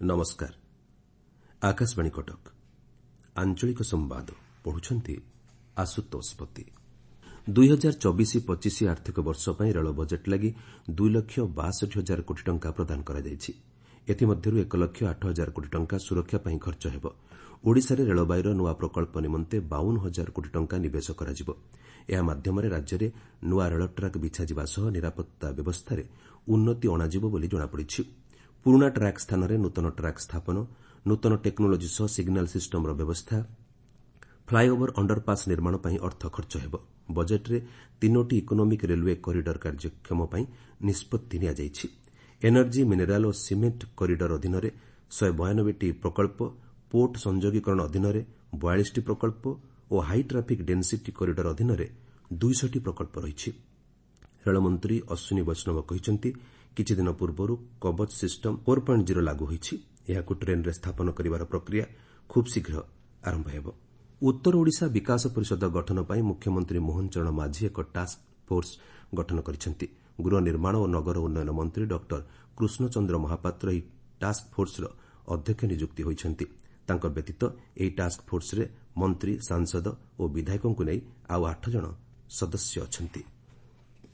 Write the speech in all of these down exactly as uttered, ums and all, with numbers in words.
ନମସ୍କାର, ଆକାଶବାଣୀ କଟକ। ଆଞ୍ଚଳିକ ସମ୍ବାଦ ପଢୁଛନ୍ତି ଆଶୁତୋଷ ପତି। ଦୁଇ ହଜାର ଚବିଶ ପଚିଶ ଆର୍ଥିକ ବର୍ଷ ପାଇଁ ରେଳ ବଜେଟ୍ ଲାଗି ଦୁଇ ଲକ୍ଷ ବାଷଠି ହଜାର କୋଟି ଟଙ୍କା ପ୍ରଦାନ କରାଯାଇଛି। ଏଥିମଧ୍ୟରୁ ଏକ ଲକ୍ଷ ଆଠ ହଜାର କୋଟି ଟଙ୍କା ସୁରକ୍ଷା ପାଇଁ ଖର୍ଚ୍ଚ ହେବ। ଓଡ଼ିଶାରେ ରେଳବାଇର ନୂଆ ପ୍ରକଳ୍ପ ନିମନ୍ତେ ବାଉନ ହଜାର କୋଟି ଟଙ୍କା ନିବେଶ କରାଯିବ। ଏହା ମାଧ୍ୟମରେ ରାଜ୍ୟରେ ନୂଆ ରେଳ ଟ୍ରାକ୍ ବିଛାଯିବା ସହ ନିରାପତ୍ତା ବ୍ୟବସ୍ଥାରେ ଉନ୍ନତି ଅଣାଯିବ ବୋଲି ଜଣାପଡ଼ିଛି। ପୁରୁଣା ଟ୍ରାକ୍ ସ୍ଥାନରେ ନୂତନ ଟ୍ରାକ୍ ସ୍ଥାପନ, ନୂତନ ଟେକ୍ନୋଲୋଜି ସହ ସିଗ୍ନାଲ ସିଷ୍ଟମର ବ୍ୟବସ୍ଥା, ଫ୍ଲାଏଓଭର, ଅଣ୍ଡରପାସ୍ ନିର୍ମାଣ ପାଇଁ ଅର୍ଥ ଖର୍ଚ୍ଚ ହେବ। ବଜେଟ୍ରେ ତିନୋଟି ଇକୋନୋମିକ୍ ରେଲୱେ କରିଡର କାର୍ଯ୍ୟକ୍ଷମ ପାଇଁ ନିଷ୍ପତ୍ତି ନିଆଯାଇଛି। ଏନର୍ଜି, ମିନେରାଲ୍ ଓ ସିମେଣ୍ଟ କରିଡର ଅଧୀନରେ ଶହେ ବୟାନବେଟି ପ୍ରକଳ୍ପ, ପୋର୍ଟ ସଂଯୋଗୀକରଣ ଅଧୀନରେ ବୟାଳିଶଟି ପ୍ରକଳ୍ପ ଓ ହାଇ ଟ୍ରାଫିକ୍ ଡେନ୍ସିଟି କରିଡର ଅଧୀନରେ ଦୁଇଶହଟି ପ୍ରକଳ୍ପ ରହିଛି। ରେଳମନ୍ତ୍ରୀ ଅଶ୍ୱିନୀ ବୈଷ୍ଣବ କହିଛନ୍ତି, କିଛିଦିନ ପୂର୍ବରୁ Kavach system four point zero ଲାଗୁ ହୋଇଛି। ଏହାକୁ ଟ୍ରେନ୍ରେ ସ୍ଥାପନ କରିବାର ପ୍ରକ୍ରିୟା ଖୁବ୍ ଶୀଘ୍ର ଆରମ୍ଭ ହେବ। ଉତ୍ତର ଓଡ଼ିଶା ବିକାଶ ପରିଷଦ ଗଠନ ପାଇଁ ମୁଖ୍ୟମନ୍ତ୍ରୀ ମୋହନ ଚରଣ ମାଝୀ ଏକ ଟାସ୍କ ଫୋର୍ସ ଗଠନ କରିଛନ୍ତି। ଗୃହ ନିର୍ମାଣ ଓ ନଗର ଉନ୍ନୟନ ମନ୍ତ୍ରୀ ଡକ୍ଟର କୃଷ୍ଣଚନ୍ଦ୍ର ମହାପାତ୍ର ଏହି ଟାସ୍କ ଫୋର୍ସର ଅଧ୍ୟକ୍ଷ ନିଯୁକ୍ତି ହୋଇଛନ୍ତି। ତାଙ୍କ ବ୍ୟତୀତ ଏହି ଟାସ୍କ ଫୋର୍ସରେ ମନ୍ତ୍ରୀ, ସାଂସଦ ଓ ବିଧାୟକଙ୍କୁ ନେଇ ଆଉ ଆଠ ଜଣ ସଦସ୍ୟ ଅଛନ୍ତି।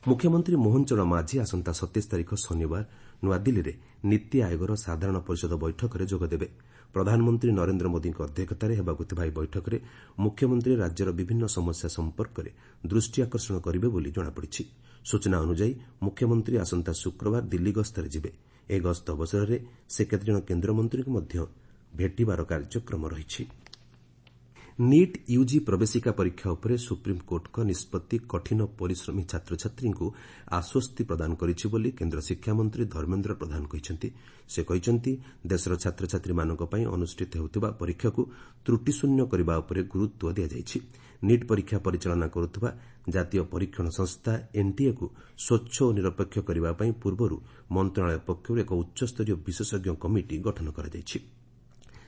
ମୁଖ୍ୟମନ୍ତ୍ରୀ ମୋହନ ଚରଣ ମାଝୀ ଆସନ୍ତା ସତେଇଶ ତାରିଖ ଶନିବାର ନୂଆଦିଲ୍ଲୀରେ ନୀତି ଆୟୋଗର ସାଧାରଣ ପରିଷଦ ବୈଠକରେ ଯୋଗଦେବେ। ପ୍ରଧାନମନ୍ତ୍ରୀ ନରେନ୍ଦ୍ର ମୋଦିଙ୍କ ଅଧ୍ୟକ୍ଷତାରେ ହେବାକୁ ଥିବା ଏହି ବୈଠକରେ ମୁଖ୍ୟମନ୍ତ୍ରୀ ରାଜ୍ୟର ବିଭିନ୍ନ ସମସ୍ୟା ସମ୍ପର୍କରେ ଦୃଷ୍ଟି ଆକର୍ଷଣ କରିବେ ବୋଲି ଜଣାପଡ଼ିଛି। ସୂଚନା ଅନୁଯାୟୀ ମୁଖ୍ୟମନ୍ତ୍ରୀ ଆସନ୍ତା ଶୁକ୍ରବାର ଦିଲ୍ଲୀ ଗସ୍ତରେ ଯିବେ। ଏହି ଗସ୍ତ ଅବସରରେ ସେ କେତେଜଣ କେନ୍ଦ୍ରମନ୍ତ୍ରୀଙ୍କୁ ମଧ୍ୟ ଭେଟିବାର କାର୍ଯ୍ୟକ୍ରମ ରହିଛି। ନିଟ୍ ୟୁଜି ପ୍ରବେଶିକା ପରୀକ୍ଷା ଉପରେ ସୁପ୍ରିମକୋର୍ଟଙ୍କ ନିଷ୍ପତ୍ତି କଠିନ ପରିଶ୍ରମୀ ଛାତ୍ରଛାତ୍ରୀଙ୍କୁ ଆଶ୍ୱସ୍ତି ପ୍ରଦାନ କରିଛି ବୋଲି କେନ୍ଦ୍ର ଶିକ୍ଷାମନ୍ତ୍ରୀ ଧର୍ମେନ୍ଦ୍ର ପ୍ରଧାନ କହିଛନ୍ତି। ସେ କହିଛନ୍ତି, ଦେଶର ଛାତ୍ରଛାତ୍ରୀମାନଙ୍କ ପାଇଁ ଅନୁଷ୍ଠିତ ହେଉଥିବା ପରୀକ୍ଷାକୁ ତ୍ରୁଟିଶୂନ୍ୟ କରିବା ଉପରେ ଗୁରୁତ୍ୱ ଦିଆଯାଇଛି। ନିଟ୍ ପରୀକ୍ଷା ପରିଚାଳନା କରୁଥିବା ଜାତୀୟ ପରୀକ୍ଷଣ ସଂସ୍ଥା ଏନ୍ଟିଏକୁ ସ୍ୱଚ୍ଛ ଓ ନିରପେକ୍ଷ କରିବା ପାଇଁ ପୂର୍ବରୁ ମନ୍ତ୍ରଣାଳୟ ପକ୍ଷରୁ ଏକ ଉଚ୍ଚସ୍ତରୀୟ ବିଶେଷଜ୍ଞ କମିଟି ଗଠନ କରାଯାଇଛି।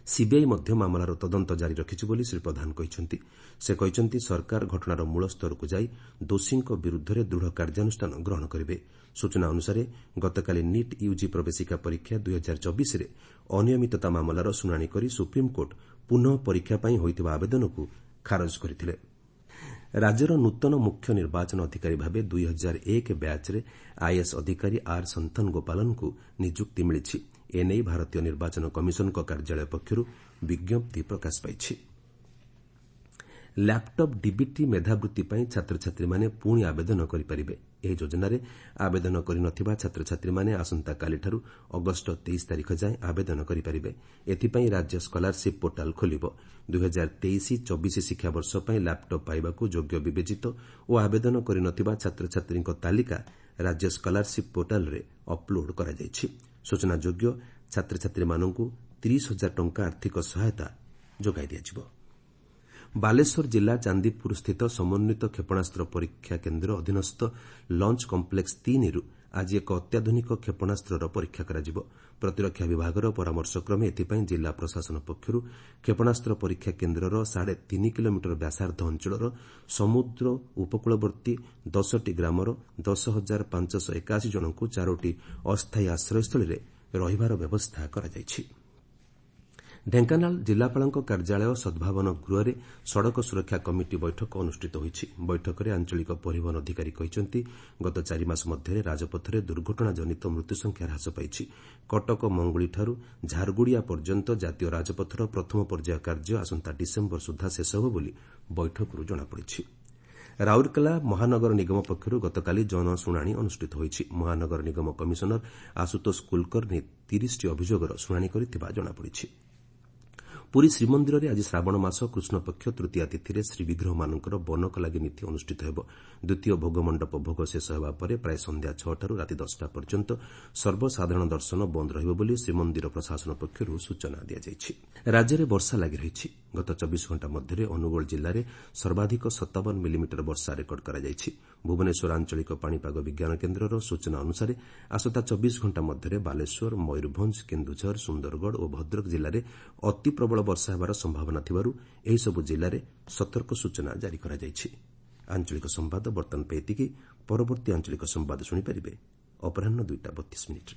ସିବିଆଇ ମଧ୍ୟ ମାମଲାର ତଦନ୍ତ ଜାରି ରଖିଛି ବୋଲି ଶ୍ରୀ ପ୍ରଧାନ କହିଛନ୍ତି। ସେ କହିଛନ୍ତି, ସରକାର ଘଟଣାର ମୂଳ ସ୍ତରକୁ ଯାଇ ଦୋଷୀଙ୍କ ବିରୁଦ୍ଧରେ ଦୃଢ଼ କାର୍ଯ୍ୟାନୁଷ୍ଠାନ ଗ୍ରହଣ କରିବେ। ସୂଚନା ଅନୁସାରେ ଗତକାଲି ନିଟ୍ ୟୁଜି ପ୍ରବେଶିକା ପରୀକ୍ଷା ଦୁଇ ହଜାର ଚବିଶରେ ଅନିୟମିତତା ମାମଲାର ଶୁଣାଣି କରି ସୁପ୍ରିମକୋର୍ଟ ପୁନଃ ପରୀକ୍ଷା ପାଇଁ ହୋଇଥିବା ଆବେଦନକୁ ଖାରଜ କରିଥିଲେ। ରାଜ୍ୟର ନୂତନ ମୁଖ୍ୟ ନିର୍ବାଚନ ଅଧିକାରୀ ଭାବେ ଦୁଇ ହଜାର ଏକ ବ୍ୟାଚ୍ରେ ଆଇଏଏସ୍ ଅଧିକାରୀ ଆର୍ ସନ୍ଥନ ଗୋପାଲନଙ୍କୁ ନିଯୁକ୍ତି ମିଳିଛି। ଏନେଇ ଭାରତୀୟ ନିର୍ବାଚନ କମିଶନଙ୍କ କାର୍ଯ୍ୟାଳୟ ପକ୍ଷରୁ ବିଜ୍ଞପ୍ତି ପ୍ରକାଶ ପାଇଛି। ଲ୍ୟାପ୍ଟପ୍ ଡିବିଟି ମେଧାବୃତ୍ତି ପାଇଁ ଛାତ୍ରଛାତ୍ରୀମାନେ ପୁଣି ଆବେଦନ କରିପାରିବେ। ଏହି ଯୋଜନାରେ ଆବେଦନ କରିନଥିବା ଛାତ୍ରଛାତ୍ରୀମାନେ ଆସନ୍ତାକାଲିଠାରୁ ଅଗଷ୍ଟ ତେଇଶ ତାରିଖ ଯାଏଁ ଆବେଦନ କରିପାରିବେ। ଏଥିପାଇଁ ରାଜ୍ୟ ସ୍କଲାରସିପ୍ ପୋର୍ଟାଲ୍ ଖୋଲିବ। ଦୁଇ ହଜାର ତେଇଶ ଚବିଶ ଶିକ୍ଷାବର୍ଷ ପାଇଁ ଲ୍ୟାପ୍ଟପ୍ ପାଇବାକୁ ଯୋଗ୍ୟ ବିବେଚିତ ଓ ଆବେଦନ କରିନଥିବା ଛାତ୍ରଛାତ୍ରୀଙ୍କ ତାଲିକା ରାଜ୍ୟ ସ୍କଲାରସିପ୍ ପୋର୍ଟାଲ୍ରେ ଅପ୍ଲୋଡ୍ କରାଯାଇଛି। ସୂଚନାଯୋଗ୍ୟ, ଛାତ୍ରଛାତ୍ରୀମାନଙ୍କୁ ତିରିଶ ହଜାର ଟଙ୍କା ଆର୍ଥିକ ସହାୟତା ଯୋଗାଇ ଦିଆଯିବ। ବାଲେଶ୍ୱର ଜିଲ୍ଲା ଚାନ୍ଦିପୁରସ୍ଥିତ ସମନ୍ୱିତ କ୍ଷେପଣାସ୍ତ୍ର ପରୀକ୍ଷା କେନ୍ଦ୍ର ଅଧୀନସ୍ଥ ଲଞ୍ଚ କମ୍ପ୍ଲେକ୍ସ ତିନିରୁ ଆଜି ଏକ ଅତ୍ୟାଧୁନିକ କ୍ଷେପଣାସ୍ତ୍ରର ପରୀକ୍ଷା କରାଯିବ। ପ୍ରତିରକ୍ଷା ବିଭାଗର ପରାମର୍ଶକ୍ରମେ ଏଥିପାଇଁ ଜିଲ୍ଲା ପ୍ରଶାସନ ପକ୍ଷରୁ କ୍ଷେପଣାସ୍ତ୍ର ପରୀକ୍ଷା କେନ୍ଦ୍ରର ସାଢ଼େ ତିନି କିଲୋମିଟର ବ୍ୟାସାର୍ଦ୍ଧ ଅଞ୍ଚଳର ସମୁଦ୍ର ଉପକୂଳବର୍ତ୍ତୀ ଦଶଟି ଗ୍ରାମର ଦଶ ହଜାର ପାଞ୍ଚଶହ ଏକାଅଶୀ ଜଣଙ୍କୁ ଚାରୋଟି ଅସ୍ଥାୟୀ ଆଶ୍ରୟସ୍ଥଳୀରେ ରହିବାର ବ୍ୟବସ୍ଥା କରାଯାଇଛି। ଢେଙ୍କାନାଳ ଜିଲ୍ଲାପାଳଙ୍କ କାର୍ଯ୍ୟାଳୟ ସଦ୍ଭାବନ ଗୃହରେ ସଡ଼କ ସୁରକ୍ଷା କମିଟି ବୈଠକ ଅନୁଷ୍ଠିତ ହୋଇଛି। ବୈଠକରେ ଆଞ୍ଚଳିକ ପରିବହନ ଅଧିକାରୀ କହିଛନ୍ତି, ଗତ ଚାରିମାସ ମଧ୍ୟରେ ରାଜପଥରେ ଦୁର୍ଘଟଣାଜନିତ ମୃତ୍ୟୁସଂଖ୍ୟା ହ୍ରାସ ପାଇଛି। କଟକ ମଙ୍ଗୁଳିଠାରୁ ଝାରଗୁଡ଼ିଆ ପର୍ଯ୍ୟନ୍ତ ଜାତୀୟ ରାଜପଥର ପ୍ରଥମ ପର୍ଯ୍ୟାୟ କାର୍ଯ୍ୟ ଆସନ୍ତା ଡିସେମ୍ବର ସୁଦ୍ଧା ଶେଷ ହେବ ବୋଲି ବୈଠକରୁ ଜଣାପଡ଼ିଛି। ରାଉରକେଲା ମହାନଗର ନିଗମ ପକ୍ଷରୁ ଗତକାଲି ଜନଶୁଣାଣି ଅନୁଷ୍ଠିତ ହୋଇଛି। ମହାନଗର ନିଗମ କମିଶନର ଆଶୁତୋଷ କୁଲକର୍ଣ୍ଣି ତିରିଶଟି ଅଭିଯୋଗର ଶୁଣାଣି କରିଥିବା ଜଣାପଡ଼ିଛି। ପୁରୀ ଶ୍ରୀମନ୍ଦିରରେ ଆଜି ଶ୍ରାବଣ ମାସ କୃଷ୍ଣପକ୍ଷ ତୃତୀୟା ତିଥିରେ ଶ୍ରୀବିଗ୍ରହମାନଙ୍କର ବନକ ଲାଗି ନୀତି ଅନୁଷ୍ଠିତ ହେବ। ଦ୍ୱିତୀୟ ଭୋଗମଣ୍ଡପ ଭୋଗ ଶେଷ ହେବା ପରେ ପ୍ରାୟ ସନ୍ଧ୍ୟା ଛଅଟାରୁ ରାତି ଦଶଟା ପର୍ଯ୍ୟନ୍ତ ସର୍ବସାଧାରଣ ଦର୍ଶନ ବନ୍ଦ ରହିବ ବୋଲି ଶ୍ରୀମନ୍ଦିର ପ୍ରଶାସନ ପକ୍ଷରୁ ସୂଚନା ଦିଆଯାଇଛି। ରାଜ୍ୟରେ ବର୍ଷା ଲାଗି ରହିଛି। ଗତ ଚବିଶ ଘଣ୍ଟା ମଧ୍ୟରେ ଅନୁଗୋଳ ଜିଲ୍ଲାରେ ସର୍ବାଧିକ ସତାବନ ମିଲିମିଟର ବର୍ଷା ରେକର୍ଡ କରାଯାଇଛି। ଭୁବନେଶ୍ୱର ଆଞ୍ଚଳିକ ପାଣିପାଗ ବିଜ୍ଞାନ କେନ୍ଦ୍ରର ସୂଚନା ଅନୁସାରେ ଆସନ୍ତା ଚବିଶ ଘଣ୍ଟା ମଧ୍ୟରେ ବାଲେଶ୍ୱର, ମୟୂରଭଞ୍ଜ, କେନ୍ଦୁଝର, ସୁନ୍ଦରଗଡ଼ ଓ ଭଦ୍ରକ ଜିଲ୍ଲାରେ ଅତି ପ୍ରବଳ ବର୍ଷା ହେବାର ସମ୍ଭାବନା ଥିବାରୁ ଏହିସବୁ ଜିଲ୍ଲାରେ ସତର୍କ ସୂଚନା ଜାରି କରାଯାଇଛି। ଆଞ୍ଚଳିକ ସମ୍ବାଦ ବର୍ତ୍ତମାନ ପାଇଁ ଏତିକି। ପରବର୍ତ୍ତୀ ଆଞ୍ଚଳିକ ସମ୍ବାଦ ଶୁଣିପାରିବେ ଅପରାହ୍ନ ଦୁଇଟା ବତିଶ ମିନିଟ୍ରେ।